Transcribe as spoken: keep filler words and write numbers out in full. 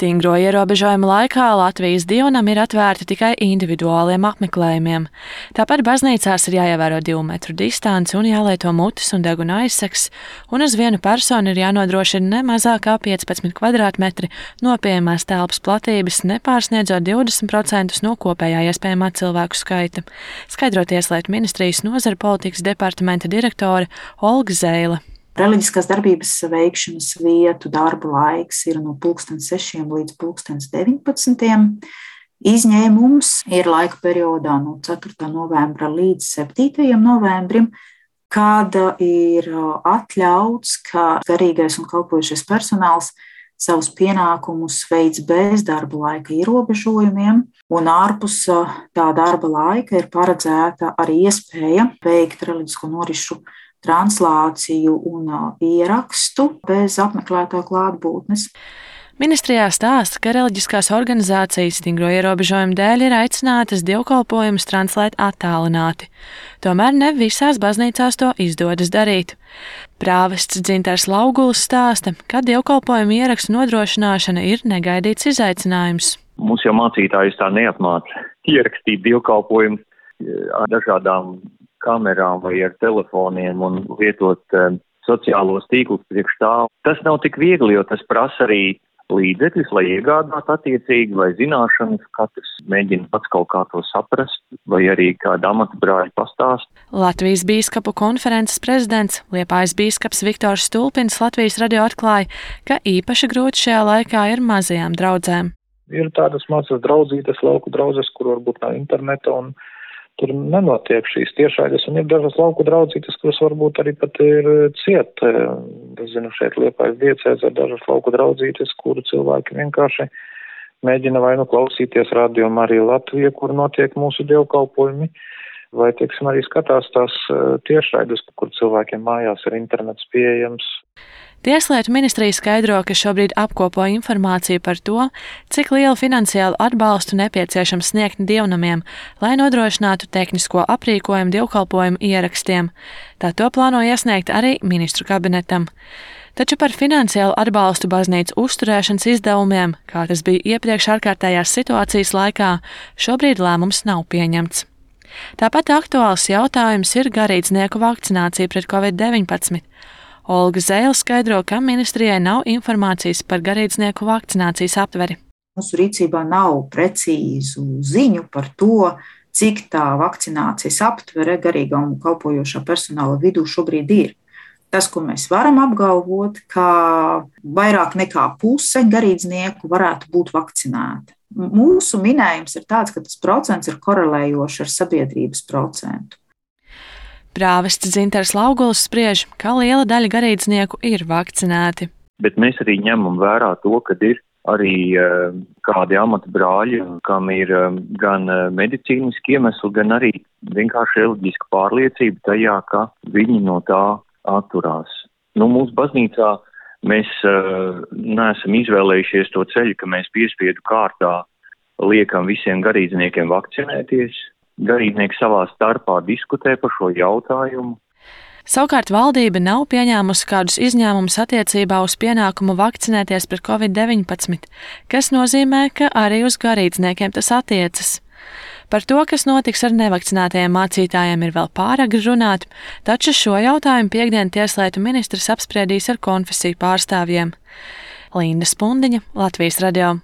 Stingro ierobežojumu laikā Latvijas dievnam ir atvērti tikai individuāliem apmeklējumiem. Tāpat baznīcās ir jāievēro divu metru distanci un jālieto mutes un deguna aizsegs, un uz vienu personu ir jānodrošina ne mazāk kā piecpadsmit kvadrātmetri no pieejamās telpas platības, nepārsniedzot divdesmit procentus no kopējā iespējamā cilvēku skaita, skaidro Tieslietu ministrijas nozara politikas departamenta direktore Olga Zeile. Reliģiskās darbības veikšanas vietu darba laiks ir no pulkstens sešiem līdz pulkstens deviņpadsmitiem. Izņēmums ir laika periodā no ceturtā novembra līdz septītajam novembrim, kad ir atļauts, ka garīgais un kalpojošais personāls savus pienākumus veids bez darba laika ierobežojumiem, un ārpus tā darba laika ir paredzēta arī iespēja veikt reliģisko norišu translāciju un ierakstu bez apmeklētāju klātbūtnes. Ministrijā stāsta, ka reliģiskās organizācijas stingro ierobežojumu dēļ ir aicinātas dievkalpojumus translēt attālināti. Tomēr ne visās baznīcās to izdodas darīt. Prāvests Dzintars Lauguls stāsta, ka dievkalpojumu ierakstu nodrošināšana ir negaidīts izaicinājums. Mums jau mācītājus tā neapmāca ierakstīt dievkalpojumus ar dažādām kamerām vai ar telefoniem un lietot um, sociālos tīklus priekš tā. Tas nav tik viegli, jo tas prasa arī līdzekļus, lai iegādātu attiecīgi, vai zināšanas, katrs mēģina pats kaut kā to saprast, vai arī kāda amata brāļa pastāst. Latvijas bīskapu konferences prezidents, Liepājas bīskaps Viktors Stulpins Latvijas radio atklāja, ka īpaši grūti šajā laikā ir mazajām draudzēm. Ir tādas mazas draudzītes, lauku draudzes, kur varbūt nav interneta un tur nenotiek šīs tiešraides, un ir dažas lauku draudzītes, kuras varbūt arī pat ir ciet. Es zinu, šeit Liepājas diecēzē ir dažas lauku draudzītes, kuru cilvēki vienkārši mēģina vai nu klausīties Radio Marija Latvija, kur notiek mūsu dievkalpojumi, vai, teiksim, arī skatās tās tiešraides, kur cilvēkiem mājās ir internets pieejams. Tieslietu ministrija skaidro, ka šobrīd apkopo informāciju par to, cik lielu finansiālu atbalstu nepieciešams sniegt dievnamiem, lai nodrošinātu tehnisko aprīkojumu dievkalpojumu ierakstiem. Tā to plāno iesniegt arī ministru kabinetam. Taču par finansiālu atbalstu baznīcu uzturēšanas izdevumiem, kā tas bija iepriekš ārkārtējās situācijas laikā, šobrīd lēmums nav pieņemts. Tāpat aktuāls jautājums ir garīdznieku vakcinācija pret covid deviņpadsmit. Olga Zeile skaidro, ka ministrijai nav informācijas par garīdznieku vakcinācijas aptveri. Mūsu rīcībā nav precīzu ziņu par to, cik tā vakcinācijas aptvere garīgā un kalpojošā personāla vidū šobrīd ir. Tas, ko mēs varam apgalvot, ka vairāk nekā puse garīdznieku varētu būt vakcinēti. Mūsu minējums ir tāds, ka tas procents ir korelējošs ar sabiedrības procentu. Prāvests Dzintars Lauguls spriež, ka liela daļa garīdznieku ir vakcinēti. Bet mēs arī ņemam vērā to, ka ir arī uh, kādi amata brāļi, kam ir uh, gan uh, medicīniski iemesli, gan arī vienkārši reliģiska pārliecība tajā, ka viņi no tā atturās. Nu, mūsu baznīcā mēs uh, neesam izvēlējušies to ceļu, ka mēs piespiedu kārtā liekam visiem garīdzniekiem vakcinēties. Garīdznieki savā starpā diskutē par šo jautājumu. Savukārt valdība nav pieņēmusi kādus izņēmumus attiecībā uz pienākumu vakcinēties pret covid deviņpadsmit, kas nozīmē, ka arī uz garīdzniekiem tas attiecas. Par to, kas notiks ar nevakcinētajiem mācītājiem, ir vēl pāragri runāt, taču šo jautājumu piektdien Tieslietu ministrs apspriedīs ar konfesiju pārstāvjiem. Linda Spundiņa, Latvijas radio.